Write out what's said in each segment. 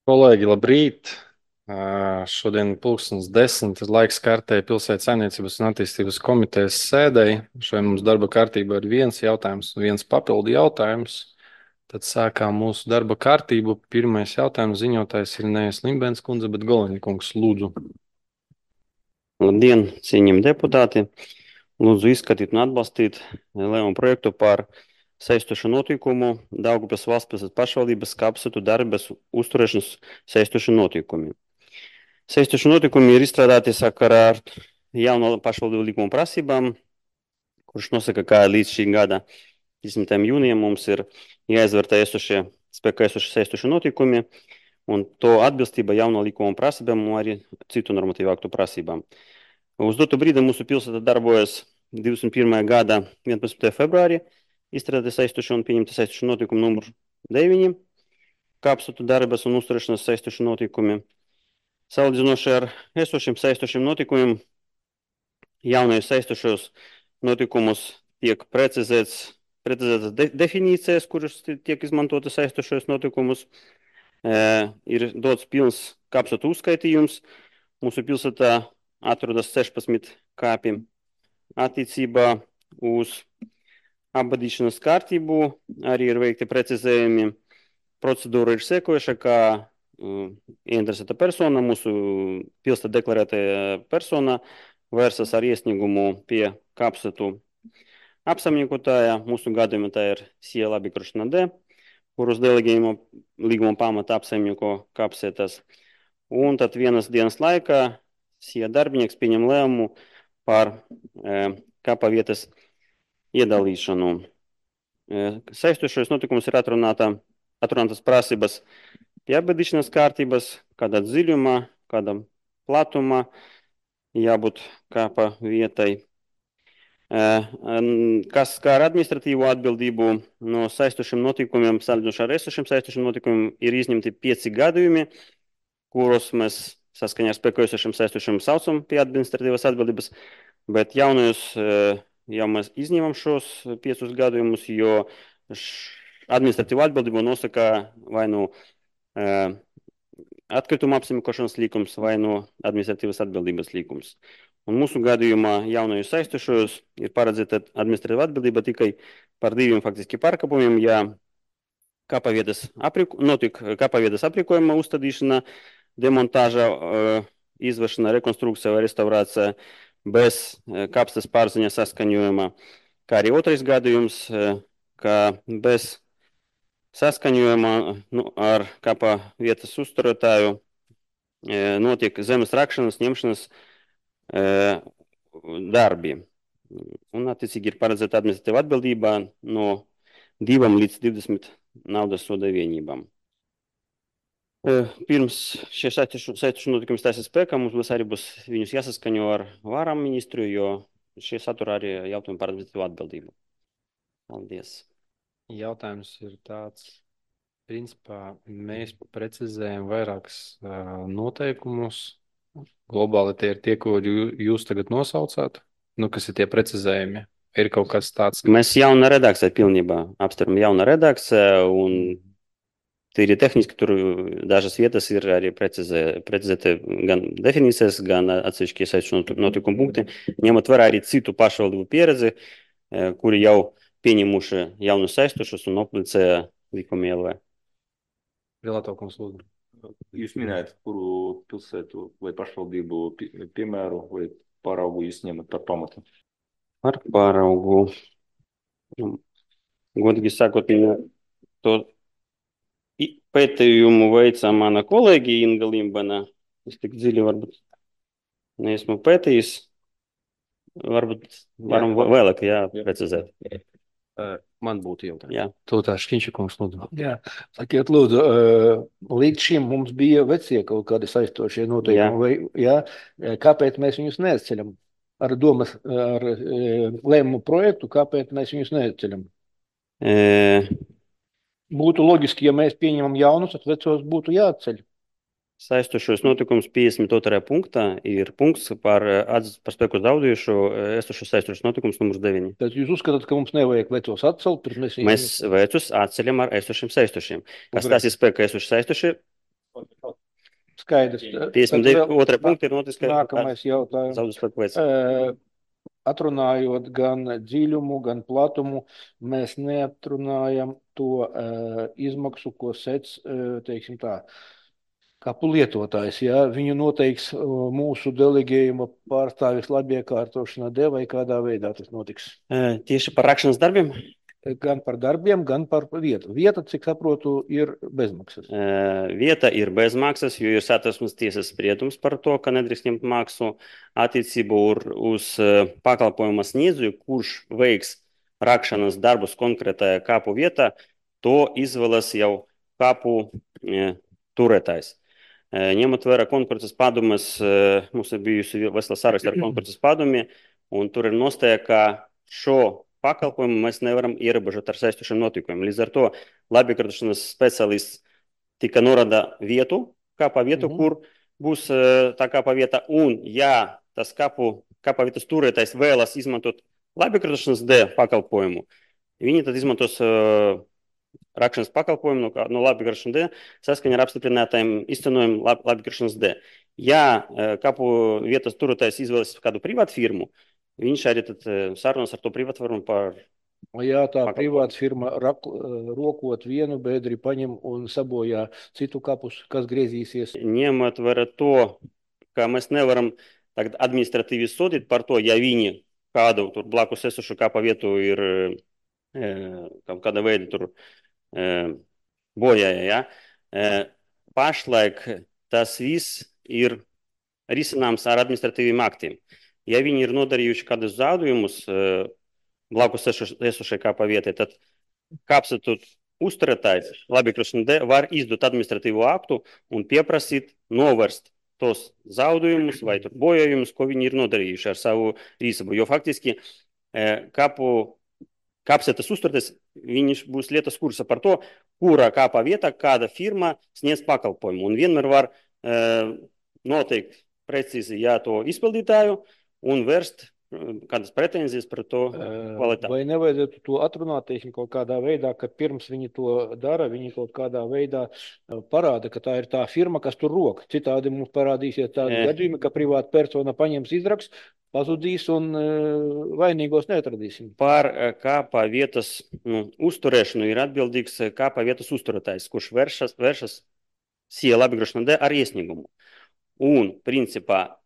Kolēģi, labrīt! Šodien pulkstens 10. ir laiks kārtēji pilsētas saimniecības un attīstības komitejas sēdēji. Šodien mums darba kārtībā ir viens jautājums un viens papildu jautājums. Tad sākām mūsu darba kārtību. Pirmais jautājums ziņotājs ir nevis Limbēns kundze, bet Goleņkungs. Lūdzu. Labdien, cienījami deputāti! Lūdzu izskatīt un atbalstīt lēmumu projektu par saistošu notikumu Daugavpils valstspilsētas pašvaldības kapsētu darbības uzturēšanas saistošu notikumi. Saistošu notikumi ir izstrādāti sakarā ar jauno pašvaldību likuma prasībām, kurš nosaka, ka līdz šī gada 10. jūnijam mums ir jāizvērtē spēkā esošie saistoši notikumi un to atbilstība jauno likuma prasībām un arī citu normatīvu aktu prasībām. Uz dotu brīdi mūsu pilsēta darbojas 21. gada 11. februārī, izstrādāti saistoši un pieņemti saistoši notikumu numur 9, kapsētu darbības un uzturēšanas saistoši notikumi. Salīdzinoši ar esošiem saistošiem notikumiem, jaunajos saistošos notikumus tiek precizētas definīcijas, kuras tiek izmantotas saistošos notikumus. Ir dots pilns kapsētu uzskaitījums. Mūsu pilsētā atrodas 16 kāpi. Attiecībā uz apbadīšanas kārtību arī ir veikti precizējumi. Procedūra ir sekojuša, kā interesēta persona, mūsu pilsētā deklarētā persona vērsas ar iesniegumu pie kapsētu apsaimniekotāja. Mūsu gadījumā tā ir Sija Labikrušana D, kurus delegējuma līguma pamata apsaimnieko kapsētas. Un tad vienas dienas laikā Sija darbinieks pieņem lēmumu par kapa vietas iedalīšanu. Saistošos notikumus ir atrunātas prasības pie apbedīšanas kārtības, kādā dziļumā, kādā platumā jābūt kapa vietai. Kas skar administratīvo atbildību no saistošiem notikumiem, salīdzinoši ar esošiem saistošiem notikumiem, ir izņemti 5 gadījumi, kuros mēs saskaņā ar spēkojošiem saistošiem saucam pie administratīvas atbildības, bet jaunajos jau mēs izņemam šos 5 gadījumus, jo administratīvu atbildību nosaka vai nu atkrituma apsaimniekošanas likums vai no administratīvas atbildības likums. Un mūsu gadījumā jaunajos saistošos ir paredzēta administratīva atbildība tikai par 2 faktiski pārkāpumiem, ja notika kapavietas aprīkojuma uzstādīšana, demontāža, izvešana, rekonstrukcija vai restaurācija bez kapstas pārziņa saskaņojuma, kā arī otrais gadījums, ka bez saskaņojuma ar kapa vietas uzturētāju notiek zemes rakšanas, ņemšanas darbi. Un attiecīgi ir paredzēta administratīva atbildība no 2 līdz 20 naudas soda vienībām. Pirms šie saistoši notikumi stāsies spēkā, mums arī būs viņus jāsaskaņo ar varam ministru, jo šie satura arī jautājumi par administratīvu atbildību. Paldies. Jautājums ir tāds. Principā mēs precizējam vairākus noteikumus. Globāli tie ir tie, ko jūs tagad nosaucāt. Kas ir tie precizējumi? Ir kaut kas tāds, ka Mēs jauna redakcija pilnībā apstiprinām jauna redakcija, un tīri tehniski tur dažas vietas ir arī precizēti gan definīcijas, gan atsevišķi saistoši notikumu punkti, ņemot vērā arī citu pašvaldību pieredzi, kuri jau pieņemuši jaunus saistošus un aplicēja likuma ielvē. Relātokums lūdzu. Jūs minējat, kuru pilsētu vai pašvaldību piemēru vai paraugu jūs ņemat par pamatu? Par paraugu. Godīgi sakot, to pētījumu veica mana kolēģi Inga Limbana. Es tik dziļi varbūt neesmu pētījis. Varbūt varam vēlāk precizēt. Man būtu jautājums. Jā. Tūtā Šķiņšakungs lūdzu. Jā, sakiet, lūdzu, līdz šim mums bija vecie kaut kādi saistošie noteikumi, kāpēc mēs viņus neizceļam? Ar lēmumu projektu, kāpēc mēs viņus neizceļam? Būtu loģiski, ja mēs pieņemam jaunus, tad vecos būtu jāatceļ. Saistošos notikums 52. punktā ir punkts par spēku zaudējušo esošos saistošos notikums numurs 9. Tad jūs uzskatāt, ka mums nevajag vecos atcelt? Mēs vecus atceļam ar esošiem saistošiem. Kas tās ir spēkā esoši saistošie? Skaidrs. 52. punkti ir notiks, ka nākamais jautājums. zaudus spēku veids. Atrunājot gan dziļumu, gan platumu, mēs neatrunājam to izmaksu, ko sec, teiksim tā, kapu lietotājs. Ja? Viņu noteiks mūsu delegējuma pārstāvis labiekārtošanā D vai kādā veidā tas notiks? Tieši par rakšanas darbiem? Gan par darbiem, gan par vietu. Vieta, cik saprotu, ir bezmaksas. Vieta ir bezmaksas, jo ir Satversmes tiesas spriedums par to, ka nedrīkst ņemt maksu attiecību uz pakalpojuma sniedzēju, kurš veiks rakšanas darbus konkrētajā kapu vietā, to izvēlas jau kapu turētājs. Ņemot vērā konkurences padomes, mums ir bijusi vesela saraksta ar konkurences padomi, un tur ir nostāja, ka šo pakalpojumu mēs nevaram ierobežot ar saistošiem noteikumiem. Līdz ar to labiekārtošanas speciālists tika norāda vietu, kapa vietu, kur būs tā kapa vieta, un ja tas kapa vietas turētājs vēlas izmantot labiekārtošanas D pakalpojumu, viņi tad izmantos rakšanas pakalpojumu no labiekārtošanas D saskaņā ar apstiprinātajiem izcenojumiem labiekārtošanas D. Ja kapu vietas turētājs izvēlas kādu privātu firmu, viņš arī tad sarunas ar to privātu firmu par... Ja tā privāta firma rokot vienu bedri paņem un sabojā citu kapus, kas griezīsies? Ņemot vērā to, ka mēs nevaram tagad administratīvi sodīt par to, ja viņi kādu tur blakus esošu kapa vietu ir kāda veida tur bojāja. Ja? Pašlaik tas viss ir risināms ar administratīviem aktiem. Ja viņi ir nodarījuši kādus zaudējumus blakus esošai kapa vietai, tad kapsētu uzturētājs labiekārtošanas D var izdot administratīvu aktu un pieprasīt novērst tos zaudējumus vai bojājumus, ko viņi ir nodarījuši ar savu rīcību. Jo faktiski kapsētas uzturētājs, viņš būs lietas kursa par to, kurā kapa vietā kāda firma sniedz pakalpojumu. Un vienmēr var noteikt precīzi to izpildītāju un vērst kādas pretenzijas par to kvalitāti. Vai nevajadzētu to atrunāt, teiksim, kaut kādā veidā, ka pirms viņi to dara, viņi kaut kādā veidā parāda, ka tā ir tā firma, kas tur roka. Citādi mums parādīsies tādi gadījumi, ka privāta persona paņems izrakstu, pazudīs un vainīgos neatradīsim. Par kapa vietas uzturēšanu ir atbildīgs kapa vietas uzturētājs, kurš vēršas SIA labiekārtošanā D ar iesniegumu. Un, principā,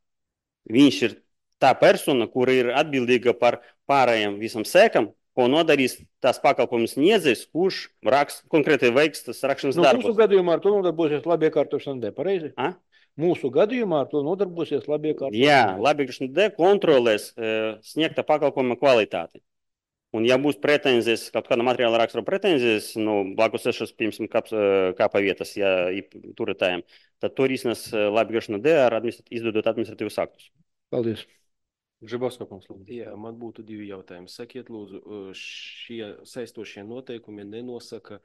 viņš ir tā persona, kura ir atbildīga par pārējiem visam sēkam, ko nodarīs tās pakalpojumus sniedzējs, kurš konkrēti veiks tas rakšanas darbus. Mūsu gadījumā ar to nodarbosies labiekārtošanā D, pareizi? Mūsu gadījumā ar to nodarbosies labiekārtošanā D. Jā, labiekārtošanā D kontrolēs sniegta pakalpojuma kvalitāti. Un ja būs pretenzijas, kaut kāda materiāla rakstura pretenzijas, blakus esošas, piemēram, kapa vietas, ja turētājiem, tad to risinās labiekārtošanā D ar izdodot administratīvus aktus. Paldies. Žibovskopums, lūdzu. Jā, man būtu divi jautājumi. Sakiet, lūdzu, šie saistošie noteikumi nenosaka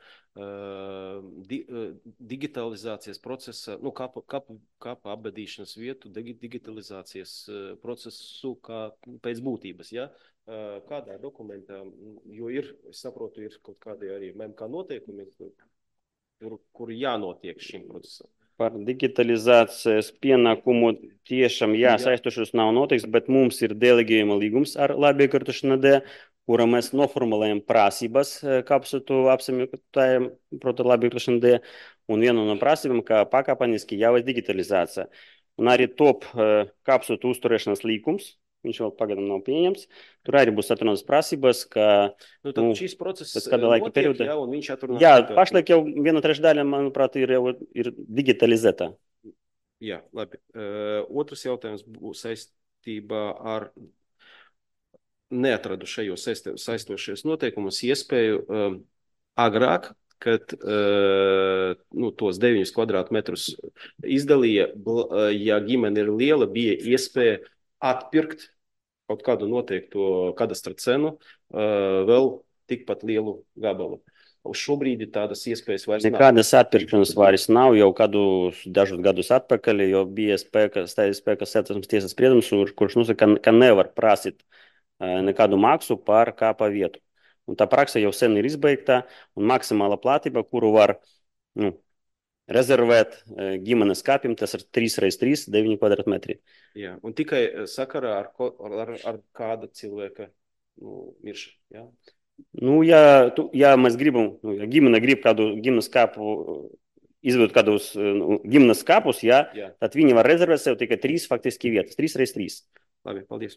digitalizācijas procesa, kapa apbedīšanas vietu, digitalizācijas procesu kā pēc būtības, ja? Kādā dokumentā, jo es saprotu, ir kaut kādi arī MMK noteikumi, kur jānotiek šim procesam. Par digitalizācijas pienākumu tiešām saistošos nav noteikts, bet mums ir delegējuma līgums ar labiekārtošanā D, kura mēs noformulējam prasības kapsētu apsaimniekotājiem proti labiekārtošanā D, un viena no prasībām, ka pakāpeniski jāveic digitalizācija. Un arī top kapsētu uzturēšanas līgums, viņš vēl pagadam nav pieņems. Tur arī būs atrunātas prasības, ka šis process kāda laika perioda. Jā, un viņš atrunās. Jā, pašlaik jau 1/3 daļa, manuprāt, ir digitalizēta. Jā, labi. Otrs jautājums būs saistībā ar neatradu šajos saistošies noteikumus iespēju agrāk, kad tos 9 kvadrātmetrus izdalīja, ja ģimene ir liela, bija iespēja atpirkt kaut kādu noteiktu kadastra cenu vēl tikpat lielu gabalu. Uz šobrīd tādas iespējas vairs nav. Nekādas atpirkšanas vairs nav jau dažus gadus atpakaļ, jo bija spēka Satversmes tiesas spriedums, kurš nosaka, ka nevar prasīt nekādu maksu par kapa vietu. Un tā praksa jau sen ir izbeigta, un maksimāla platība, kuru var rezervēt ģimenes kapim, tas ir 3x3, 9 kvadrātmetri. Jā, un tikai sakarā ar kāda cilvēka miršanu, jā? Ja mēs gribam, ja ģimene grib kādu ģimenes kapu, izveidot kādus ģimenes kapus, jā, tad viņi var rezervēt sev tikai 3 faktiski vietas, 3x3. Labi, paldies.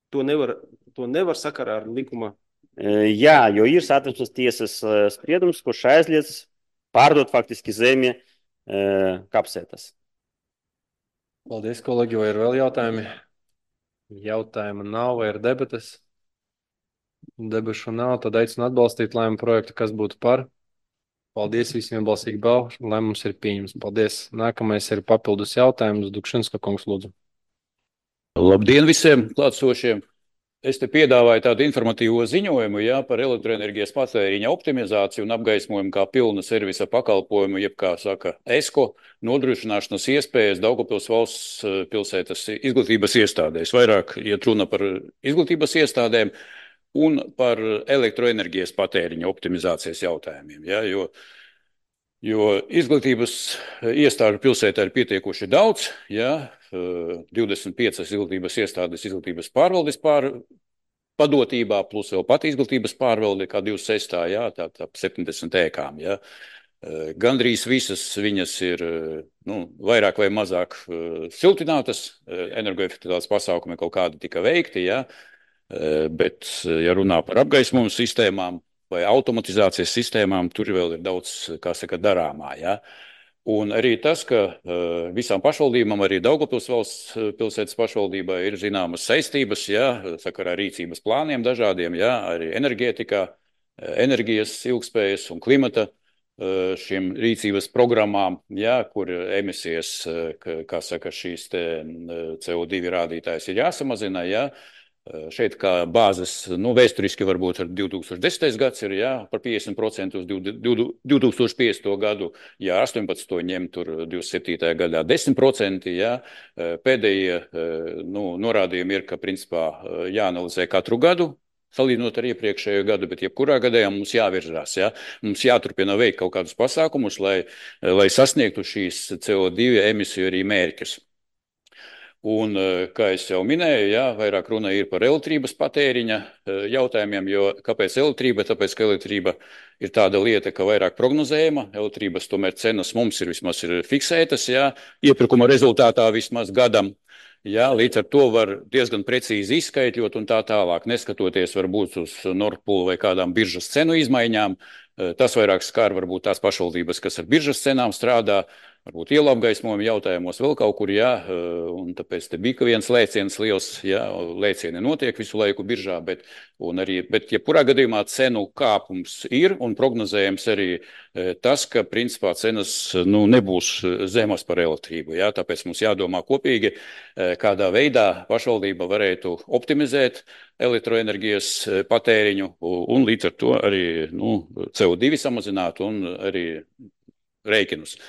To nevar sakarā ar likuma? Jā, jo ir Satversmes tiesas spriedums, kurš aizliedz pārdot faktiski zemi kapsētas. Paldies, kolēģi, vai ir vēl jautājumi? Jautājumu nav, vai ir debates? Debašu nav, tad aicinu atbalstīt lēmumu projektu, kas būtu par. Paldies visiem balsīgi balvu, lēmums ir pieņems. Paldies. Nākamais ir papildus jautājums. Dukšinska kungs, lūdzu. Labdien visiem klātsošiem! Es te piedāvāju tādu informatīvo ziņojumu, par elektroenerģijas patēriņa optimizāciju un apgaismojumu kā pilna servisa pakalpojumu, jeb kā saka ESCO, nodrošināšanas iespējas Daugavpils valsts pilsētas izglītības iestādēs. Vairāk iet runa par izglītības iestādēm un par elektroenerģijas patēriņa optimizācijas jautājumiem. Jo izglītības iestāžu pilsētā ir pietiekoši daudz, 25 izglītības iestādes izglītības pārvaldes padotībā, plus vēl pat izglītības pārvalde, kā 26, tā 70 ēkām. Gandrīz visas viņas ir vairāk vai mazāk siltinātas, energoefektivitātes pasākumi kaut kādi tika veikti, bet, ja runā par apgaismojumu sistēmām vai automatizācijas sistēmām, tur vēl ir daudz, kā saka, darāmā, Un arī tas, ka visām pašvaldībām, arī Daugavpils valsts pilsētas pašvaldībai ir zināmas saistības, sakarā rīcības plāniem dažādiem, arī enerģētikā, enerģijas ilgspējas un klimata šiem rīcības programmām, kur emisijas, kā saka, šīs te CO2 rādītājs ir jāsamazina, Šeit kā bāzes, vēsturiski varbūt ar 2010. gads ir par 50% uz 2050. gadu, 18. ņem tur 27. gadā 10%, Pēdējie norādījumi ir, ka principā jāanalizē katru gadu, salīdzinot ar iepriekšējo gadu, bet jebkurā gadījumā mums jāvirzās, Mums jāturpina veikt kaut kādus pasākumus, lai sasniegtu šīs CO2 emisiju arī mērķus. Un, kā es jau minēju, vairāk runa ir par elektrības patēriņa jautājumiem, jo kāpēc elektrība? Tāpēc, ka elektrība ir tāda lieta, ka vairāk prognozējama, elektrības tomēr cenas mums ir vismaz fiksētas, iepirkuma rezultātā vismaz gadam. Līdz ar to var diezgan precīzi izskaitļot un tā tālāk, neskatoties varbūt uz Nord Pool vai kādām biržas cenu izmaiņām. Tas vairāk skar varbūt tās pašvaldības, kas ar biržas cenām strādā, varbūt ielu apgaismojuma jautājumos vēl kaut kur, un tāpēc te bija viens lēciens liels, lēcieni notiek visu laiku biržā, bet jebkurā gadījumā cenu kāpums ir un prognozējams arī tas, ka principā cenas nebūs zemas par elektrību, tāpēc mums jādomā kopīgi, kādā veidā pašvaldība varētu optimizēt elektroenerģijas patēriņu un līdz ar to arī CO2 samazināt un arī rēķinus.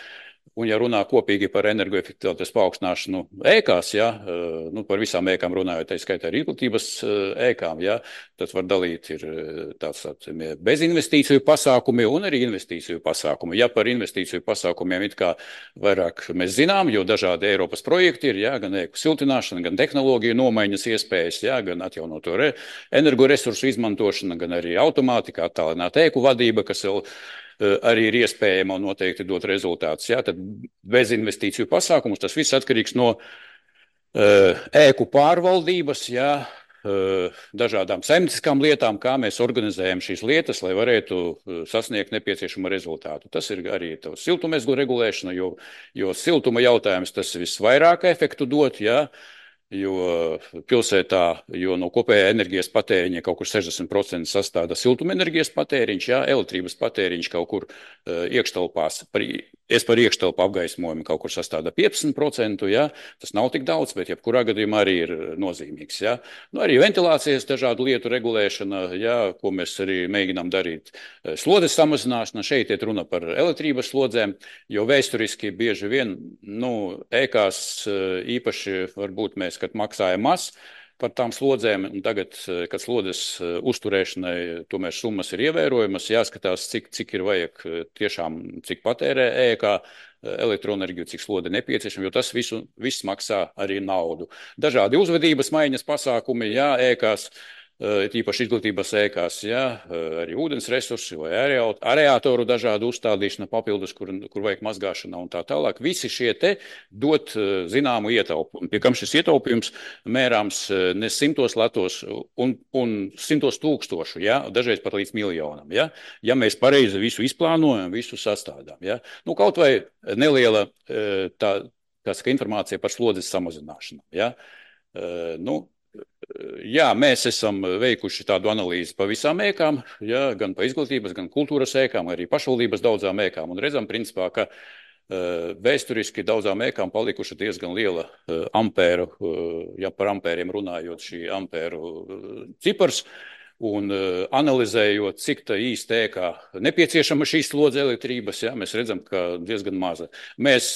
Un, ja runā kopīgi par energoefektivitātes paaugstināšanu ēkās, par visām ēkām runājot, tā skaitā arī izglītības ēkām, tad var dalīt ir tāds bezinvestīciju pasākumi un arī investīciju pasākumi. Ja par investīciju pasākumiem it kā vairāk mēs zinām, jo dažādi Eiropas projekti ir, gan ēku siltināšana, gan tehnoloģiju nomaiņas iespējas, gan atjaunoto energoresursu izmantošana, gan arī automātika, attālināta ēku vadība, kas vēl arī ir iespējama un noteikti dot rezultātus. Tad bez investīciju pasākumus tas viss atkarīgs no ēku pārvaldības, dažādām saimnieciskām lietām, kā mēs organizējam šīs lietas, lai varētu sasniegt nepieciešamo rezultātu. Tas ir arī siltumezglu regulēšana, jo siltuma jautājums tas visvairāk efektu dot, jo pilsētā, no kopējā enerģijas patēriņa kaut kur 60% sastāda siltumenerģijas patēriņš, elektrības patēriņš kaut kur iekštelpās, par iekštelpu apgaismojumu kaut kur sastāda 15%, tas nav tik daudz, bet jebkurā gadījumā arī ir nozīmīgs, Arī ventilācijas dažādu lietu regulēšana, ko mēs arī mēģinām darīt. Slodzes samazināšana, šeit iet runa par elektrības slodzēm, jo vēsturiski bieži vien, ēkās īpaši varbūt mēs, kad maksājam maz, par tām slodzēm, un tagad, kad slodzes uzturēšanai tomēr summas ir ievērojamas, jāskatās, cik ir vajag tiešām, cik patērē ēkā elektroenerģiju, cik slode nepieciešama, jo tas viss maksā arī naudu. Dažādi uzvedības maiņas pasākumi, jā, ēkās, tīpaši izglītības ēkās, jā, arī ūdens resursi vai areātoru dažādu uzstādīšana papildus, kur vajag mazgāšana un tā tālāk. Visi šie te dot zināmu ietaupumu, pie kam šis ietaupījums mērāms ne 100 latos un 100 tūkstošu, jā, dažreiz pat līdz miljonam, jā, ja mēs pareizi visu izplānojam, visu sastādām, jā. Nu, kaut vai neliela informācija par slodzes samazināšanu, jā. Nu, jā, mēs esam veikuši tādu analīzi pa visām ēkām, jā, gan pa izglītības, gan kultūras ēkām, arī pašvaldības daudzām ēkām, un redzam, principā, ka vēsturiski daudzām ēkām palikuši diezgan liela ampēru, ja par ampēriem runājot, šī ampēru cipars, un analizējot, cik tā īsti ēkā nepieciešama šīs slodze elektrības, jā, mēs redzam, ka diezgan maza. Mēs,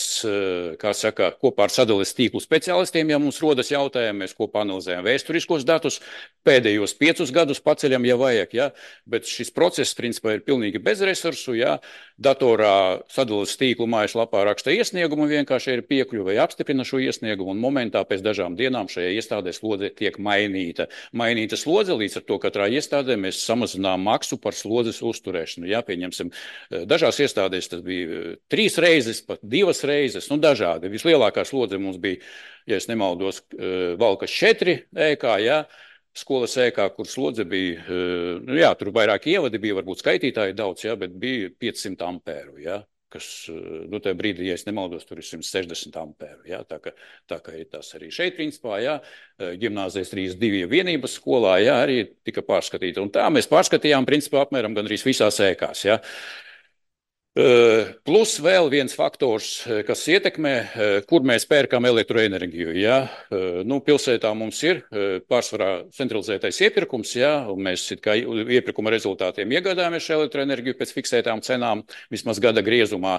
kā saka, kopā ar sadales tīklu speciālistiem, ja mums rodas jautājumi, mēs kopā analizējam vēsturiskos datus, pēdējos 5 gadus paceļam, ja vajag, jā, bet šis process, principā, ir pilnīgi bez resursu, jā, datorā sadales tīklu mājaslapā raksta iesniegumu, vienkārši ir piekļuve, apstiprina šo iesniegumu, un momentā pēc dažām dienām šajā iestādē slodze tiek mainīta. Mainīta slodze, līdz ar to katrā iestādē mēs samazinām maksu par slodzes uzturēšanu. Jā, pieņemsim, dažās iestādēs tas bija 3 reizes, pat 2 reizes, nu dažādi. Vislielākā slodze mums bija, ja es nemaldos, Valkas 4 ēkā, jā, skolas ēkā, kur slodze bija, nu jā, tur vairāk ievadi bija, varbūt skaitītāji daudz, jā, bet bija 500 ampēru, jā. Kas, nu, tajā brīdī, ja es nemaldos, tur ir 160 ampēru, jā, tā kā ir tas arī šeit, principā, jā, ģimnāzijas 32 vienības skolā, jā, arī tika pārskatīta, un tā mēs pārskatījām, principā, apmēram gandrīz visās ēkās, jā. Plus vēl viens faktors, kas ietekmē, kur mēs pērkam elektroenerģiju, jā. Nu, pilsētā mums ir pārsvarā centralizētais iepirkums, jā, un mēs kā iepirkuma rezultātiem iegādājamies šo elektroenerģiju pēc fiksētām cenām, vismaz gada griezumā.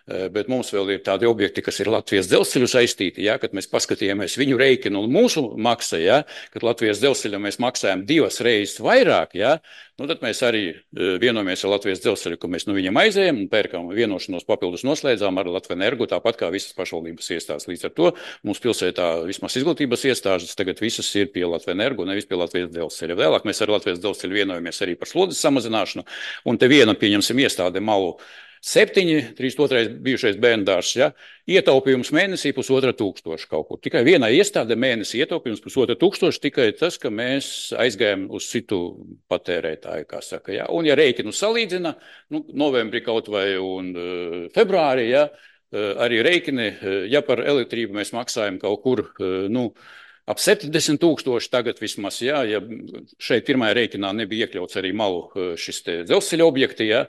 Bet mums vēl ir tādi objekti, kas ir Latvijas dzelzceļu saistīti, ja, kad mēs paskatījāmies viņu rēķinu un mūsu maksa, ja, kad Latvijas dzelzceļam mēs maksājam 2 reizes vairāk, ja, nu tad mēs arī vienojamies ar Latvijas dzelzceļu, ka mēs no viņiem aizējam un pērkam vienošanos papildus noslēdzām ar Latvenergu, tāpat kā visas pašvaldības iestādes. Līdz ar to mums pilsētā vismaz izglītības iestādes tagad visas ir pie Latvenergu, nevis pie Latvijas dzelzceļa. Vēlāk mēs ar Latvijas dzelzceļu vienojamies arī par slodzes samazināšanu, un te viena, pieņemsim, iestāde Malu 7, 32. bijušais bērndārs, ja, ietaupījums mēnesī 1500 kaut kur. Tikai vienai iestāde mēnesī ietaupījums 1500, tikai tas, ka mēs aizgājam uz citu patērētāju, kā saka, ja. Un ja rēķinu salīdzina, nu, novembrī kaut vai un februārī, ja, arī rēķini, ja par elektrību mēs maksājam kaut kur, nu, ap 70 000 tagad vismaz, jā, ja šeit pirmajā rēķinā nebija iekļauts arī Malu šis te dzelzceļa objekti, jā,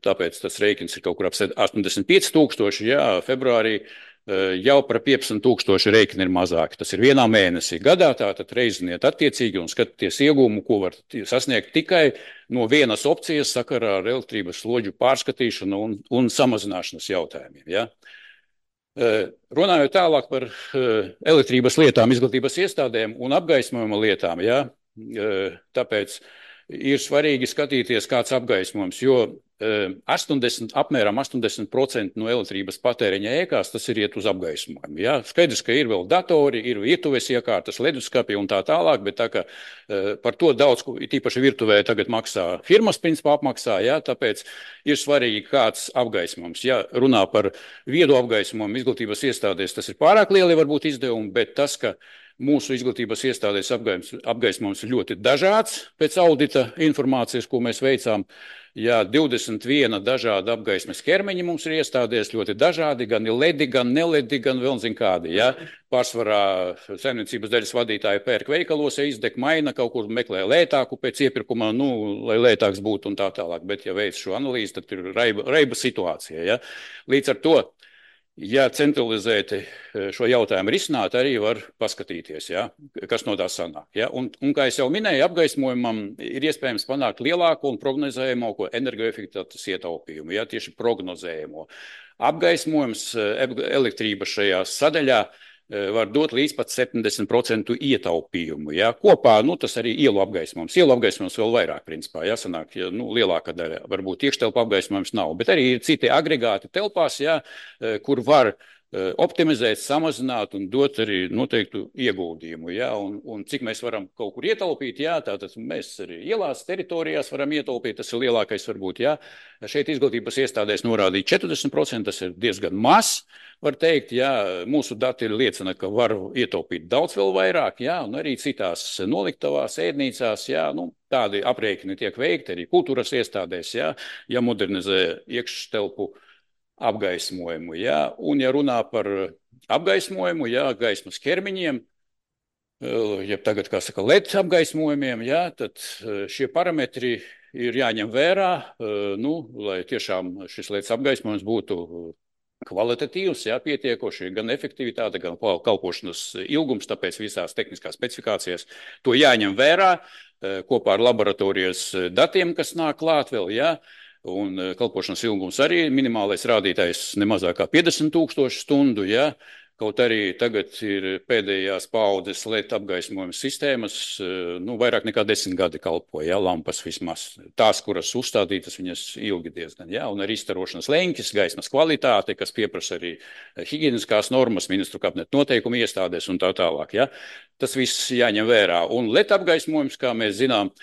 tāpēc tas rēķins ir kaut kur ap 85 000, jā, februārī jau par 15 000 rēķini ir mazāki. Tas ir vienā mēnesī gadā, tātad reiziniet attiecīgi un skatieties iegūmu, ko var sasniegt tikai no vienas opcijas sakarā ar elektrības slodžu pārskatīšanu un samazināšanas jautājumiem, jā. Runājot tālāk par elektrības lietām, izglītības iestādēm un apgaismojuma lietām, ja, tāpēc ir svarīgi skatīties, kāds apgaismojums, jo apmēram 80% no elektrības patēriņa ēkās tas ir iet uz apgaismojumu. Ja. Skaidrs, ka ir vēl datori, ir virtuves iekārtas, leduskapi un tā tālāk, bet tā kā par to daudz, tīpaši virtuvē tagad maksā firmas, principā apmaksā, ja, tāpēc ir svarīgi kāds apgaismojums. Ja runā par viedu apgaismojumu izglītības iestādēs, tas ir pārāk lieli varbūt izdevumi, bet tas, ka mūsu izglītības iestādēs apgaismojums ir ļoti dažāds pēc audita informācijas, ko mēs veicām. Jā, 21 dažāda apgaismes ķermeņi mums ir iestādēs, ļoti dažādi, gan ledi, gan neledi, gan vēl zin kādi. Jā. Pārsvarā saimniecības daļas vadītāji pērk veikalos, ja izdeg maina, kaut kur meklē lētāku pēc iepirkuma, nu, lai lētāks būtu un tā tālāk. Bet, ja veic šo analīzi, tad ir raiba situācija. Ja. Līdz ar to, ja centralizēti šo jautājumu risināt, arī var paskatīties, ja, kas no tā sanāk. Ja. Un kā es jau minēju, apgaismojumam ir iespējams panākt lielāko un prognozējamāko energoefektivitātes ietaupījumu, ja, tieši prognozējamo. Apgaismojums, elektrība šajā sadaļā var dot līdz pat 70% ietaupījumu. Ja? Kopā, tas arī ielu apgaismojums. Ielu apgaismojums vēl vairāk, principā, jāsanāk, ja, lielākā daļa varbūt iekštelpa apgaismojums nav, bet arī ir citi agregāti telpās, ja, kur var optimizēt, samazināt un dot arī noteiktu ieguldījumu. Ja? Un cik mēs varam kaut kur ietaupīt, ja? Tātad mēs arī ielās, teritorijās varam ietaupīt, tas ir lielākais varbūt. Ja? Šeit izglītības iestādēs norādīt 40%, tas ir diezgan maz, var teikt. Ja? Mūsu dati liecina, ka var ietaupīt daudz vēl vairāk, ja? Un arī citās noliktavās, ēdnīcās, ja? Tādi aprēķini tiek veikti arī kultūras iestādēs, ja modernizē iekštelpu apgaismojumu. Ja? Un, ja runā par apgaismojumu, ja, gaismas ķermiņiem, ja tagad, kā saka, LED apgaismojumiem, ja, tad šie parametri ir jāņem vērā, lai tiešām šis LED apgaismojums būtu kvalitatīvs, ja, pietiekoši, gan efektivitāte, gan kalpošanas ilgums, tāpēc visās tehniskās specifikācijas to jāņem vērā kopā ar laboratorijas datiem, kas nāk klāt vēl, ja. Un kalpošanas ilgums arī minimālais rādītājs nemazāk kā 50,000 stundu, ja? Kaut arī tagad ir pēdējās paaudzes LED apgaismojuma sistēmas, vairāk nekā 10 gadi kalpo, ja? Lampas vismaz. Tās, kuras uzstādītas, viņas ilgi diezgan, ja? Un arī izstarošanas leņķis, gaismas kvalitāte, kas pieprasa arī higieniskās normas, ministru kabineta noteikumu iestādēs un tā tālāk, ja? Tas viss jāņem vērā. Un LED apgaismojums, kā mēs zinām,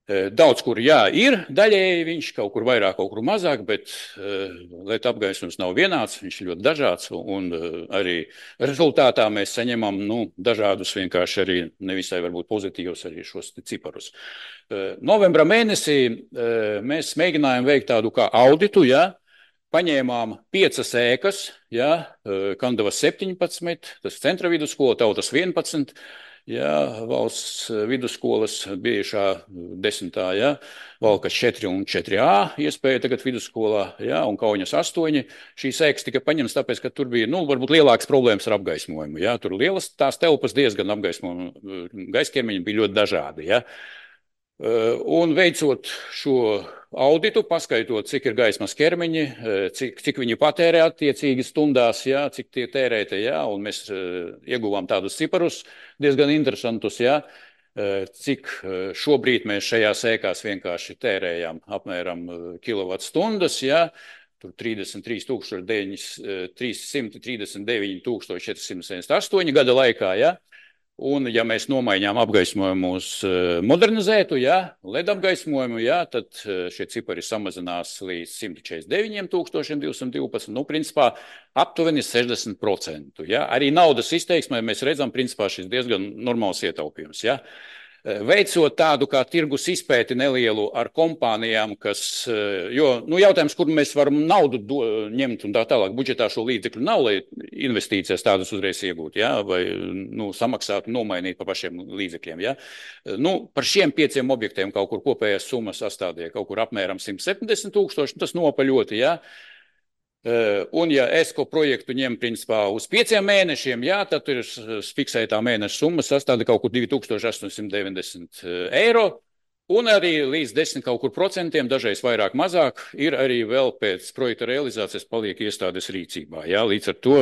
daudz kur, jā, ir daļēji viņš, kaut kur vairāk, kaut kur mazāk, bet LED apgaismojums nav vienāds, viņš ļoti dažāds, un arī rezultātā mēs saņemam, dažādus vienkārši arī nevisai varbūt pozitīvus arī šos ciparus. Novembra mēnesī mēs mēģinājām veikt tādu kā auditu, ja, paņēmām 5 ēkas, ja, Kandavas 17, tas centra vidusskola, Tautas 11, ja, valsts vidusskolas bijušā 10. Ja, Valkas 4 un 4A iespēja tagad vidusskolā, ja, un Kauņas 8. Šīs ēkas tika paņemts tāpēc, ka tur bija, varbūt lielākas problēmas ar apgaismojumu. Ja. Tur lielas tās telpas diezgan apgaismojumu, gaisķermeņi bija ļoti dažādi. Ja. Un veicot šo auditu, paskaitot, cik ir gaismas ķermeņi, cik viņi patērē attiecīgi stundās, ja, cik tie tērēti, ja, un mēs ieguvām tādus ciparus diezgan interesantus, ja, cik šobrīd mēs šajās ēkās vienkārši tērējam apmēram kilovatstundas, ja, tur 339,478 gada laikā, ja. Un, ja mēs nomaiņām apgaismojumu uz modernizētu, ja, LED apgaismojumu, ja, tad šie cipari samazinās līdz 149,212, principā aptuveni 60%. Ja. Arī naudas izteiksmē mēs redzam, principā šis diezgan normāls ietaupījums. Ja. Veicot tādu kā tirgus izpēti nelielu ar kompānijām, kas, jautājums, kur mēs varam naudu ņemt un tā tālāk, budžetā šo līdzekļu nav, lai investīcijas tādas uzreiz iegūt, ja, vai samaksāt, nomainīt par pašiem līdzekļiem. Ja. Par šiem 5 objektiem kaut kur kopējās summas sastādīja kaut kur apmēram 170,000, tas nopaļoti, ja. Un, ja ESCO projektu ņem principā uz 5 mēnešiem, jā, tad ir fiksētā mēneša summa sastāda kaut kur 2,890 eiro, un arī līdz 10 kaut kur procentiem, dažreiz vairāk mazāk, ir arī vēl pēc projekta realizācijas paliek iestādes rīcībā. Jā. Līdz ar to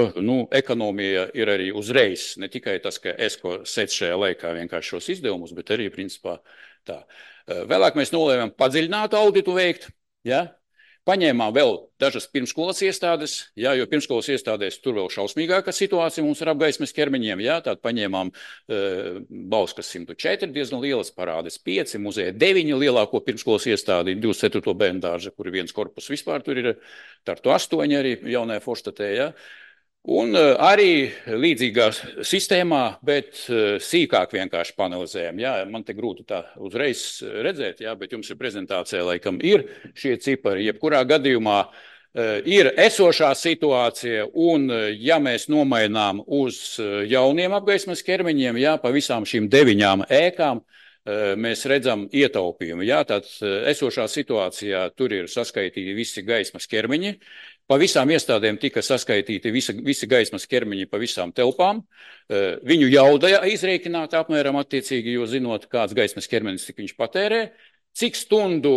ekonomija ir arī uzreiz, ne tikai tas, ka ESCO sec šajā laikā vienkārši šos izdevumus, bet arī principā tā. Vēlāk mēs nolēmām padziļinātu auditu veikt, jā. Paņēmām vēl dažas pirmskolas iestādes, jā, jo pirmskolas iestādēs tur vēl šausmīgāka situācija mums ar apgaismes ķermeņiem. Jā, tātad paņēmām Bauskas 104, diezgan lielas Parādes 5, muzeja 9 lielāko pirmskolas iestādi, 24. bērnu dārza, kur ir viens korpus vispār, tur ir Tartu 8 arī jaunajā Forštatē. Jā. Un arī līdzīgā sistēmā, bet sīkāk vienkārši panelizējam. Jā, man te grūti tā uzreiz redzēt, jā, bet jums ir prezentācija, laikam ir šie cipari. Jebkurā gadījumā ir esošā situācija, un ja mēs nomainām uz jauniem apgaismas ķermeņiem, jā, pa visām šīm 9 ēkām, mēs redzam ietaupījumu. Jā, tad esošā situācijā tur ir saskaitīti visi gaismas ķermeņi. Pa visām iestādēm tika saskaitīti visi gaismas ķermeņi pa visām telpām. Viņu jauda izrēķināta apmēram attiecīgi, jo zinot, kāds gaismas ķermenis, cik viņš patērē, cik stundu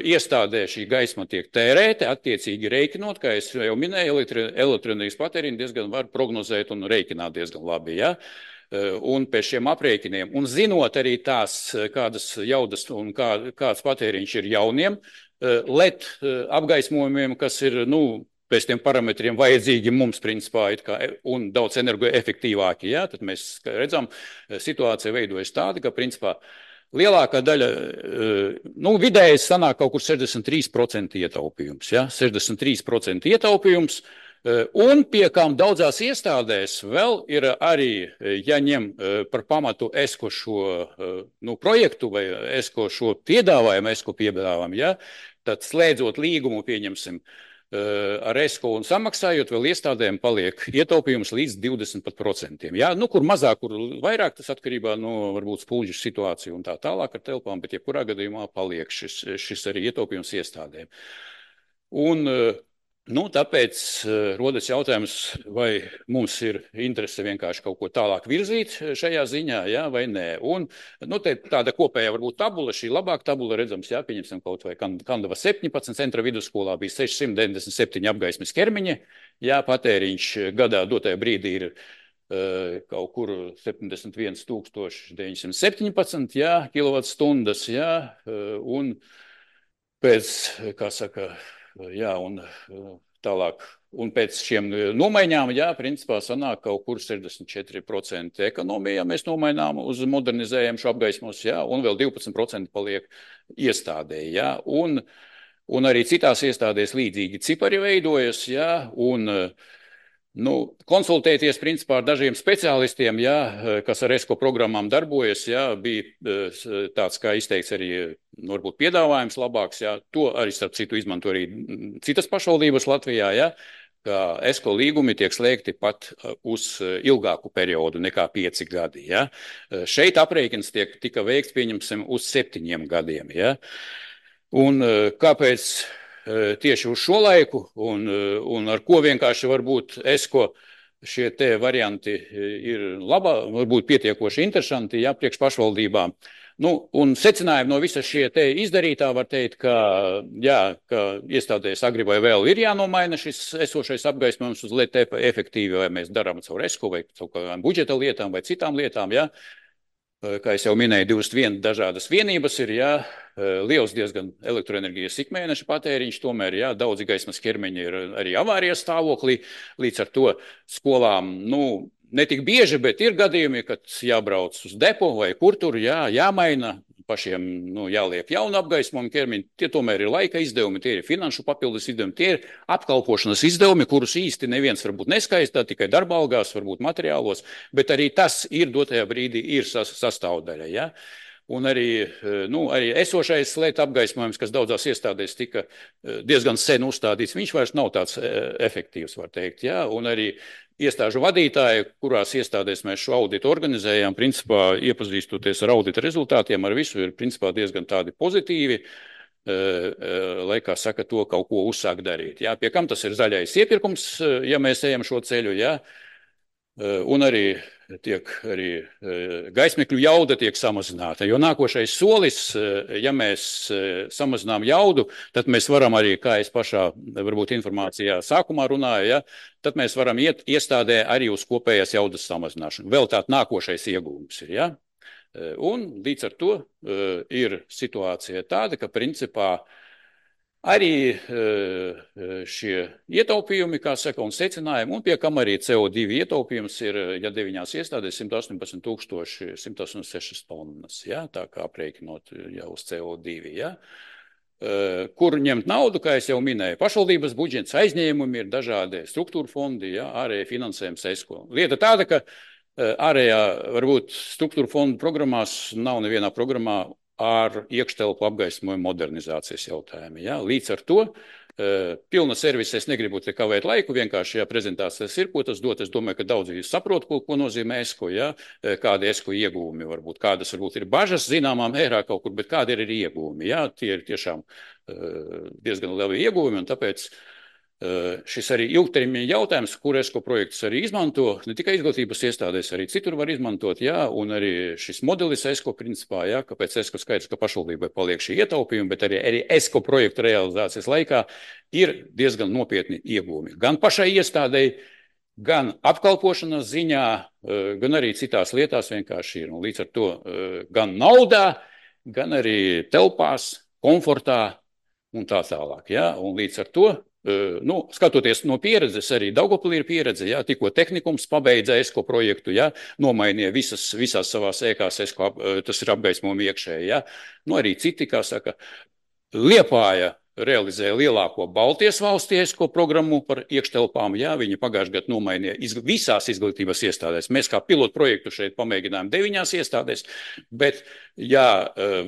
iestādē šī gaisma tiek tērēta, attiecīgi reikinot, kā es jau minēju, elektroenerģijas patēriņu diezgan var prognozēt un reikināt diezgan labi, ja? Un pēc šiem aprēķiniem, un zinot arī tās, kādas jaudas un kāds patēriņš ir jauniem LED apgaismojumiem, kas ir, pēc tiem parametriem vajadzīgi mums, principā, un daudz energoefektīvāki, ja? Tad mēs redzam, situācija veidojas tāda, ka, principā, lielākā daļa, vidēji sanāk kaut kur 63% ietaupījums, ja? 63% ietaupījums, un pie kām daudzās iestādēs vēl ir arī, ja ņem par pamatu ESCO šo projektu vai ESCO šo piedāvājumu, ja? Tad slēdzot līgumu, pieņemsim, ar ESCO un samaksājot, vēl iestādēm paliek ietaupījums līdz 20%. Ja? Kur mazāk, kur vairāk, tas atkarībā no varbūt spuldžu situāciju un tā tālāk ar telpām, bet jebkurā gadījumā paliek šis arī ietaupījums iestādēm. Un tāpēc rodas jautājums, vai mums ir interese vienkārši kaut ko tālāk virzīt šajā ziņā, ja, vai nē. Un tāda kopējā varbūt tabula, šī labāka tabula redzams, ja, pieņemsim kaut vai Kandava 17, centra vidusskolā bija 697 apgaismes ķermeņi, ja, patēriņš gadā dotajā brīdī ir kaut kur 71 917 ja, kilovatstundas, ja, un pēc, kā saka, jā, un tālāk. Un pēc šiem nomaiņām, jā, principā sanāk kaut kur 64% ekonomija, ja mēs nomainām uz modernizējumu šo apgaismos, jā, un vēl 12% paliek iestādē, jā, un arī citās iestādēs līdzīgi cipari veidojas, jā, un konsultēties principā ar dažiem speciālistiem, jā, kas ar ESCO programmām darbojas, jā, bija tāds, kā izteikts arī, varbūt piedāvājums labāks, jā, to arī starp citu izmanto arī citas pašvaldības Latvijā, jā, ka ESCO līgumi tiek slēgti pat uz ilgāku periodu nekā 5 gadi, jā. Šeit aprēķins tika veikts, pieņemsim, uz 7 gadiem, jā. Un kāpēc tieši uz šo laiku un ar ko vienkārši varbūt ESCO šie te varianti ir varbūt pietiekoši interesanti, jā, priekš pašvaldībām. Un secinājumi no visa šie te izdarītā var teikt, ka iestādēs agri vai vēl ir jānomaina šis esošais apgaismojums uz LED efektīvi, vai mēs darām caur ESCO vai caur kādām budžeta lietām vai citām lietām, jā. Kā es jau minēju, 21 dažādas vienības ir, jā, liels diezgan elektroenerģijas ikmēneša patēriņš, tomēr, jā, daudzi gaismas ķermeņi ir arī avārijas stāvoklī, līdz ar to skolām, ne tik bieži, bet ir gadījumi, kad jābrauc uz depo vai kur tur, jā, jāmaina, pašiem, jāliek jaunu apgaismojumu ķermeņi, tie tomēr ir laika izdevumi, tie ir finanšu papildus izdevumi, tie ir apkalpošanas izdevumi, kurus īsti neviens varbūt neskaistā, tikai darba algās, varbūt materiālos, bet arī tas ir dotajā brīdī ir sastāvdaļa, ja? Un arī esošais LED apgaismojums, kas daudzās iestādēs tika diezgan sen uzstādīts, viņš vairs nav tāds efektīvs, var teikt, ja? Un arī iestāžu vadītāji, kurās iestādēs mēs šo auditu organizējām, principā iepazīstoties ar audita rezultātiem, ar visu ir principā diezgan tādi pozitīvi, lai, kā saka, to kaut ko uzsāk darīt. Jā, pie kam tas ir zaļais iepirkums, ja mēs ejam šo ceļu, jā, un arī gaismekļu jauda tiek samazināta, jo nākošais solis, ja mēs samazinām jaudu, tad mēs varam arī, kā es pašā varbūt informācijā sākumā runāju, ja, tad mēs varam iet iestādē arī uz kopējās jaudas samazināšanu. Vēl tāds nākošais iegūms ir, ja. Un līdz ar to ir situācija tāda, ka principā arī šie ietaupījumi, kā saka, un secinājumi, un pie kam arī CO2 ietaupījums ir, ja 9 iestādēs 118 186 tonnas, ja, tā kā aprēķinot jau uz CO2, ja. Kur ņemt naudu, kā es jau minēju, pašvaldības budžets, aizņēmumi ir dažādi struktūra fondi, ja, ārēji finansējums ESCO. Lieta tāda, ka ārējā varbūt struktūra fondu programmās nav nevienā programmā ar iekštelpu apgaismojumu modernizācijas jautājumu. Ja? Līdz ar to pilna servisa, es negribu te kavēt laiku, vienkārši, ja prezentācijas ir, ko tas dot, es domāju, ka daudzi saprot, ko nozīmē ESCO, ja? Kādi ESCO iegūmi varbūt, kādas varbūt ir bažas zināmā mērā kaut kur, bet kādi ir iegūmi. Ja? Tie ir tiešām diezgan lieli iegūmi, un tāpēc šis arī ilgtermiņa jautājums, kur ESCO projektus arī izmanto, ne tikai izglītības iestādēs, arī citur var izmantot, jā, un arī šis modelis ESCO principā, jā, kāpēc ESCO skaidrs, ka pašvaldībai paliek šī ietaupījuma, bet arī ESCO projektu realizācijas laikā ir diezgan nopietni iegūmi. Gan pašai iestādēji, gan apkalpošanas ziņā, gan arī citās lietās vienkārši ir. Un līdz ar to gan naudā, gan arī telpās, komfortā un tā tālāk. Ja? Un līdz ar to, skatoties no pieredzes, arī Daugavpilī ir pieredze, ja? Tikko tehnikums pabeidza ESCO projektu, ja? Nomainīja visās savās ēkās ESCO, tas ir apgaismojumi iekšēji. Ja? Arī citi, kā saka, Liepāja realizēja lielāko Baltijas valstu ESCO programmu par iekštelpām. Jā, viņi pagājušajā gadā nomainīja visās izglītības iestādēs. Mēs kā pilotu projektu šeit pamēģinājām 9 iestādēs, bet, ja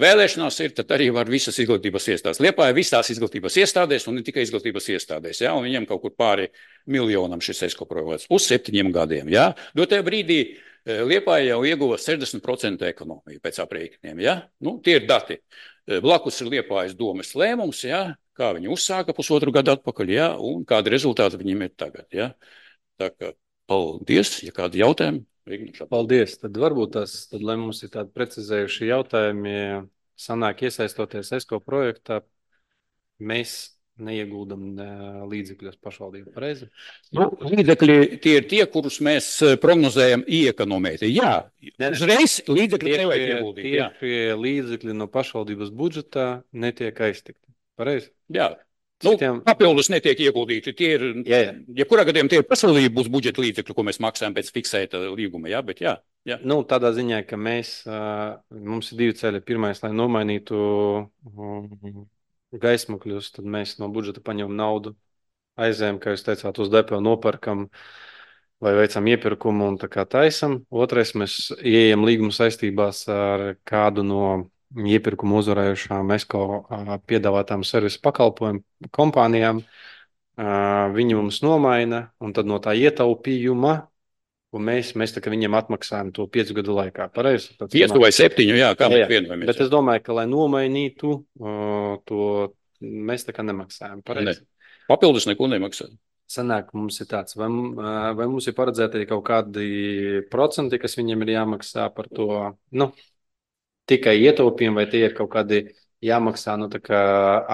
vēlēšanās ir, tad arī var visas izglītības iestādes. Liepāja visās izglītības iestādēs un ne tikai izglītības iestādēs. Jā, un viņiem kaut kur pāri miljonam šis ESCO projekts uz 7 gadiem. Jā. Dotajā brīdī Liepāja jau ieguva 60% ekonomiju pēc aprēķiniem. Jā. Tie ir dati. Blakus ir Liepājas domes lēmums, ja, kā viņi uzsāka 1,5 gadu atpakaļ, ja, un kādi rezultāti viņiem ir tagad. Ja. Tā kā paldies, ja kādi jautājumi. Paldies. Tad varbūt tad, lai mums ir tādi precizējuši jautājumi, sanāk iesaistoties ESCO projektā, mēs neieguldam līdzekļus pašvaldību, pareizi? Līdzekļi tie ir tie, kurus mēs prognozējam iekonomēt. Jā, uzreiz līdzekļi nevajag ieguldīt. Tie līdzekļi no pašvaldības budžetā netiek aiztikti, pareizi? Jā. Papildus netiek ieguldīti. Tie ir, jebkurā gadījumā tie ir pašvaldības budžeta līdzekļi, ko mēs maksājam pēc fiksēta līguma. Jā, bet jā. Tādā ziņā, ka mums ir 2 ceļi. Pirmais, lai nomainītu gaismakļus, tad mēs no budžeta paņemam naudu, aizējam, kā jūs teicāt, uz depo nopērkam vai veicam iepirkumu un tā kā taisam. Otrais, mēs ieejam līguma saistībās ar kādu no iepirkumu uzvarējušām ESCO piedāvātām servisu pakalpojumu kompānijām. Viņi mums nomaina, un tad no tā ietaupījuma, un mēs tā kā viņiem atmaksājam to 5 gadu laikā. Pareizi? 5 vai 7, jā, kā mēs vienojamies. Bet es domāju, ka, lai nomainītu to, mēs tā kā nemaksājam. Pareizi? Papildus neko nemaksājam. Sanāk, mums ir tāds, vai mums ir paredzēti kaut kādi procenti, kas viņiem ir jāmaksā par to, tikai ietaupījumi, vai tie ir kaut kādi jāmaksā, tā kā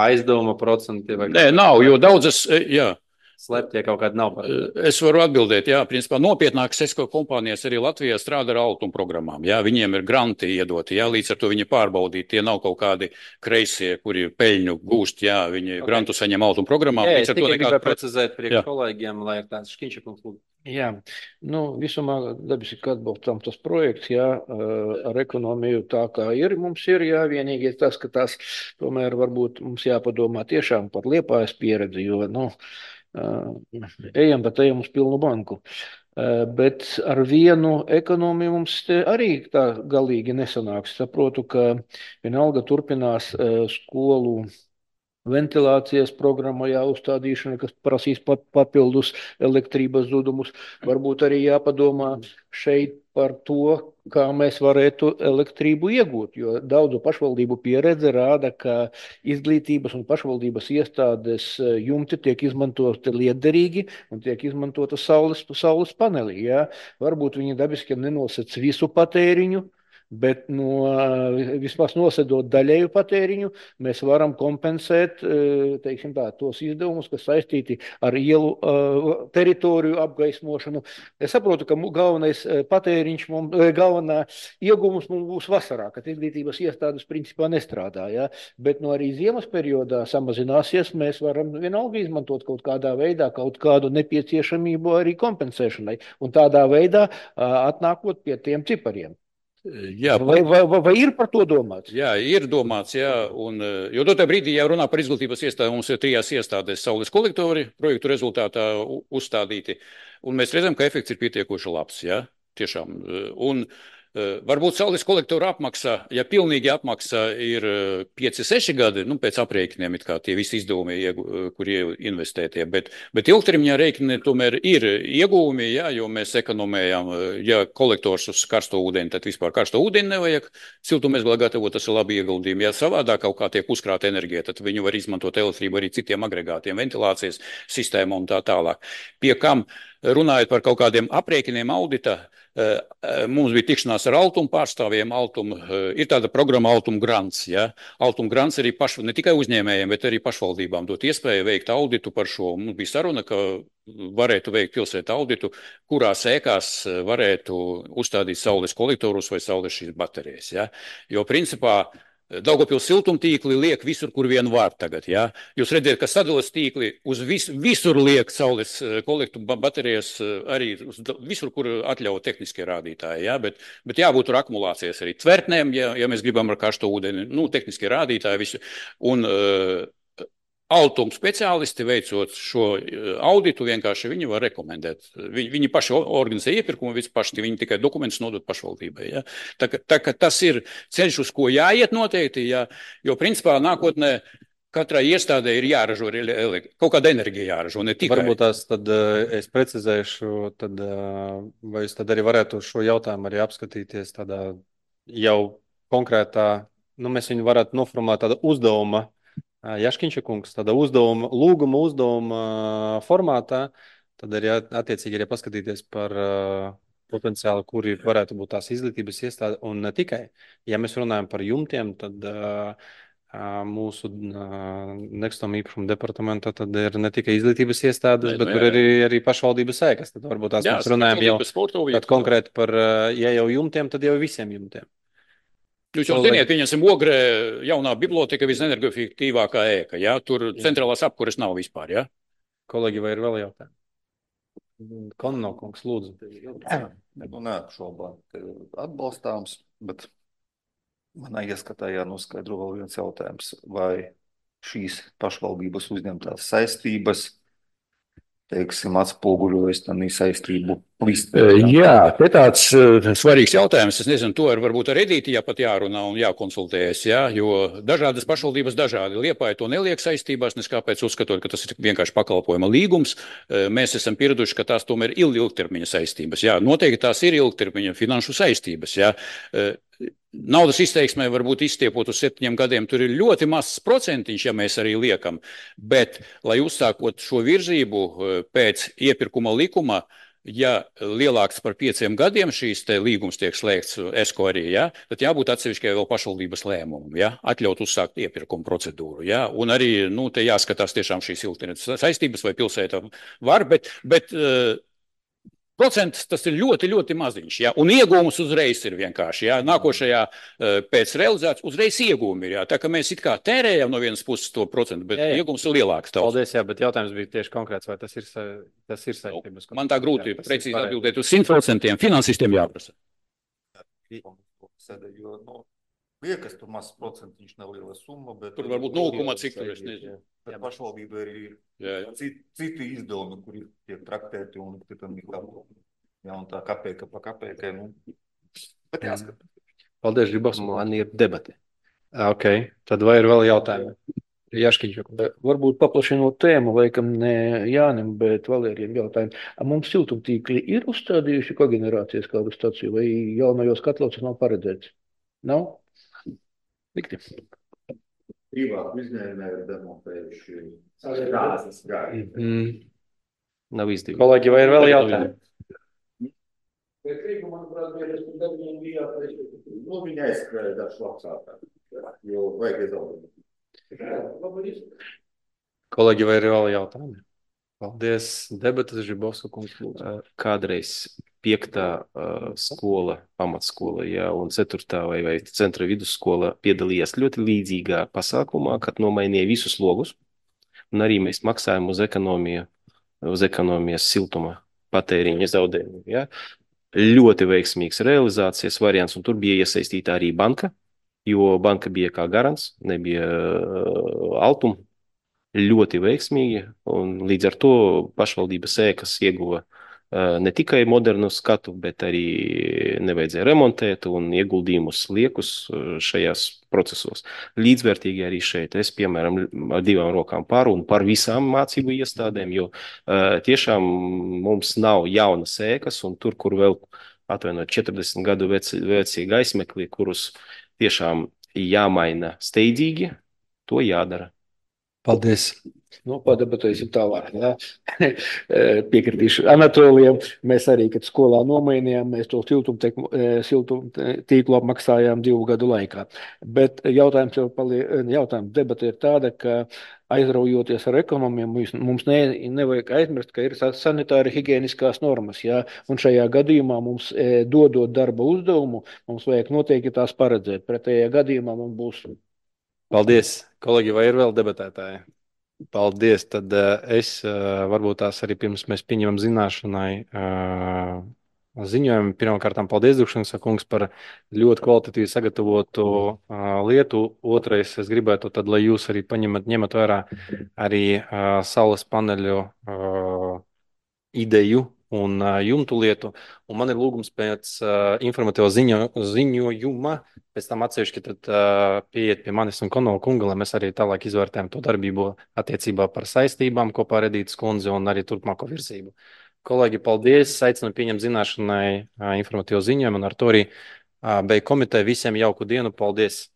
aizdevuma procenti? Vai Nē, nav, jo daudzas, jā. Sleptie kaut kādi nav paredzēti. Es varu atbildēt, jā, principā nopietnākas ESCO kompānijas arī Latvijā strādā ar altuma programmām. Jā, viņiem ir granti iedoti, jā, līdz ar to viņi pārbaudīti. Tie nav kaut kādi kreisie, kuri peļņu gūst, jā, viņi grantu saņem altuma programmām. Jā, es tikai gribēju precizēt priekš kolēģiem, lai ir tāds šķiņšakums. Jā, visumā dabiski atbalstam tas projekts, jā, ar ekonomiju tā kā ir, mums ir, jā, vienīgi tas, ka tas tomēr varbūt mums jāpadomā tiešām par Liepājas pieredzi, jo, ejam uz pilnu banku. Bet ar vienu ekonomiju mums arī tā galīgi nesanāks. Saprotu, ka vienalga turpinās skolu ventilācijas programma jāuzstādīšana, kas prasīs papildus elektrības zudumus. Varbūt arī jāpadomā šeit par to, kā mēs varētu elektrību iegūt, jo daudzu pašvaldību pieredze rāda, ka izglītības un pašvaldības iestādes jumti tiek izmantoti lietderīgi un tiek izmantota saules panelī. Jā. Varbūt viņi dabiski nenosec visu patēriņu, bet vismaz nosedot daļēju patēriņu, mēs varam kompensēt, teiksim tā, tos izdevumus, kas saistīti ar ielu teritoriju apgaismošanu. Es saprotu, ka galvenais patēriņš, galvenā ieguvums mums būs vasarā, kad izglītības iestādes principā nestrādā, ja? Bet arī ziemas periodā samazināsies, mēs varam vienalga izmantot kaut kādā veidā, kaut kādu nepieciešamību arī kompensēšanai, un tādā veidā atnākot pie tiem cipariem. Jā, vai ir par to domāts? Jā, ir domāts, jā. Jo dotā brīdī, ja runā par izglītības iestādēm, mums ir 3 iestādēs saules kolektori projektu rezultātā uzstādīti, un mēs redzam, ka efekts ir pietiekoši labs, jā, tiešām. Un Varbūt saules kolektoru apmaksa, ja pilnīgi apmaksa ir 5-6 gadi, nu, pēc aprēķiniem, it kā tie visi izdevumi, kur investētie, bet ilgtermiņā rēķini tomēr ir ieguvumi, jā, jo mēs ekonomējam, ja kolektors uz karsto ūdeni, tad vispār karsto ūdeni nevajag siltumezglā gatavot, tas ir labi ieguldījumi. Ja savādāk kaut kā tiek uzkrāta enerģija, tad viņu var izmantot elektrību arī citiem agregātiem, ventilācijas sistēmā un tā tālāk. Pie kam, runājot par kaut kādiem aprēķiniem audita, mums bija tikšanās ar Altumu pārstāvjiem. Ir tāda programma Altuma grants. Ja? Altuma grants arī ne tikai uzņēmējiem, bet arī pašvaldībām dot iespēju veikt auditu par šo. Mums bija saruna, ka varētu veikt pilsētu auditu, kurās ēkās varētu uzstādīt saules kolektorus vai saules šīs baterijas. Ja? Jo principā Daugavpils siltumtīkli liek visur, kur vien var tagad. Ja? Jūs redzat, ka sadales tīkli uz visur liek saules kolektoru baterijas arī visur, kur atļauj tehniskie rādītāji. Ja? Bet jābūt tur akumulācijas arī tvertnēm, ja mēs gribam ar karsto ūdeni, nu, tehniskie rādītāji visu. Un Altuma speciālisti veicot šo auditu, vienkārši viņi var rekomendēt. Viņi paši organizē iepirkumu, viņi tikai dokumentus nodod pašvaldībai. Ja? Tā ka tas ir ceļš, uz ko jāiet noteikti, ja? Jo principā nākotnē katrai iestādē ir jāražo kaut kāda enerģija jāražo, ne tikai. Varbūt tās tad es precizēšu, vai es tad arī varētu šo jautājumu arī apskatīties tādā jau konkrētā, nu mēs viņu varētu noformulēt tāda uzdevuma, Jaškiņša kungs, tāda lūguma uzdevuma formātā, tad arī attiecīgi arī paskatīties par potenciāli, kuri varētu būt tās izglītības iestāde, un ne tikai. Ja mēs runājam par jumtiem, tad mūsu nekustamā īpašuma departamentā tad ir ne tikai izglītības iestādes, bet tur arī pašvaldības ēkas. Tad varbūt tās mēs runājam jau konkrēti par, ja jau jumtiem, tad jau visiem jumtiem. Jūs jau ziniet, pieņemsim Ogrē jaunā biblioteka visenergoefektīvākā ēka, ja? Tur centrālās apkures nav vispār, ja? Kolēģi, vai ir vēl jautājumi? Konnokungs, lūdzu. Neapšaubām, atbalstāms, bet manā ieskatā jānoskaidro vēl viens jautājums, vai šīs pašvaldības uzņemtās saistības, teiksim, atspoguļojas tādā saistību listē. Jā, te tāds svarīgs jautājums. Es nezinu, to varbūt ar Edīti jāpat jārunā un jākonsultējas, jā, jo dažādas pašvaldības dažādi. Liepāja to neliek saistībās, nes kāpēc uzskatot, ka tas ir vienkārši pakalpojuma līgums. Mēs esam pieraduši, ka tās tomēr ir ilgtermiņa saistības. Jā, noteikti tās ir ilgtermiņa finanšu saistības, jā. Naudas izteiksmē varbūt izstiepot uz 7 gadiem, tur ir ļoti mazs procentiņš, ja mēs arī liekam, bet, lai uzsākot šo virzību pēc iepirkuma likuma, ja lielāks par 5 gadiem šīs te līgums tiek slēgts ESCO arī, ja, tad jābūt atsevišķai vēl pašvaldības lēmumam, ja, atļaut uzsākt iepirkuma procedūru, ja, un arī, nu, te jāskatās tiešām šīs ilgtermiņa saistības, vai pilsēta var, bet procents tas ir ļoti, ļoti maziņš, ja? Un iegūmus uzreiz ir vienkārši. Ja? Nākošajā pēc realizācijas uzreiz iegūmi ir. Ja? Tā kā mēs it kā tērējam no vienas puses to procentu, bet iegūms ir lielāks. Paldies, jā, bet jautājums bija tieši konkrēts, vai tas ir saistības. Man tā grūti precīzi atbildēt uz 100%. Finansistiem jāprasa. Liekas, tur mazs procentiņš neliela summa, bet... Tur varbūt 0, cik tur, es nezinu. Bet pašvaldība ir citi izdevumi, kuri tiek traktēti un tam ir un tā kapēka pa kapēkai, nu, bet jāskat. Paldies, Žibovs, man ir debati. Ok, tad vai ir vēl jautājumi? Jaškiņš. Varbūt paplašinot tēmu, laikam ne Jānim, bet Valēriem jautājumu. Mums siltumtīkli ir uzstādījuši kogenerācijas kādu staciju vai jaunajos katlos nav paredzēts? Nav? Likti. Privāti uzņēmēji ir demontējuši Nav izdevīgi. Kolēģi, vai ir vēl jautājumi? Bet Rīga, manuprāt, bija viņa aizskrēja dažs labsākā, jo vajag izaudēt. Kolēģi, vai ir vēl jautājumi? Paldies. Debatas Žibovska kungs. Kādreiz 5. skola, pamatskola, ja, un 4. vai centra vidusskola piedalījās ļoti līdzīgā pasākumā, kad nomainīja visus logus, un arī mēs maksājam uz ekonomijas siltuma patēriņa zaudējumu. Ja. Ļoti veiksmīgs realizācijas variants, un tur bija iesaistīta arī banka, jo banka bija kā garants, nebija Altuma. Ļoti veiksmīgi, un līdz ar to pašvaldības ēkas ieguva ne tikai modernu skatu, bet arī nevajadzēja remontēt un ieguldījumus liekus šajās procesos. Līdzvērtīgi arī šeit es, piemēram, ar 2 rokām un par visām mācību iestādēm, jo tiešām mums nav jaunas ēkas un tur, kur vēl atvainot 40 gadu vecie gaismekļi, kurus tiešām jāmaina steidzīgi, to jādara. Paldies! Nu, padebatēsim tālāk. Ja? Piekritīšu Anatolijam. Mēs arī, kad skolā nomainījām, mēs to siltumtīklu apmaksājām 2 gadu laikā. Bet jautājums debata ir tāda, ka aizraujoties ar ekonomiem, mums nevajag aizmirst, ka ir sanitāri higieniskās normas. Ja? Un šajā gadījumā mums, dodot darba uzdevumu, mums vajag noteikti tās paredzēt. Pretējā gadījumā mums būs. Paldies! Kolēģi, vai ir vēl debatētāji? Paldies. Tad es varbūt tās arī pirms mēs pieņemam zināšanai ziņojumu. Pirmkārt, paldies, Dukšanas kungs, par ļoti kvalitatīvi sagatavotu lietu. Otrais, es gribētu, tad, lai jūs arī ņemat vērā arī saules paneļu ideju un jumtu lietu. Un man ir lūgums pēc informatīvā ziņojuma, pēc tam atsevišķi pieiet pie manis un Konova kunga, lai mēs arī tālāk izvērtējam to darbību attiecībā par saistībām kopā ar Edītas kundzi un arī turpmāko virzību. Kolēģi, paldies! Aicinu pieņemt zināšanai informatīvo ziņojumu un ar to arī beig komiteju. Visiem jauku dienu! Paldies!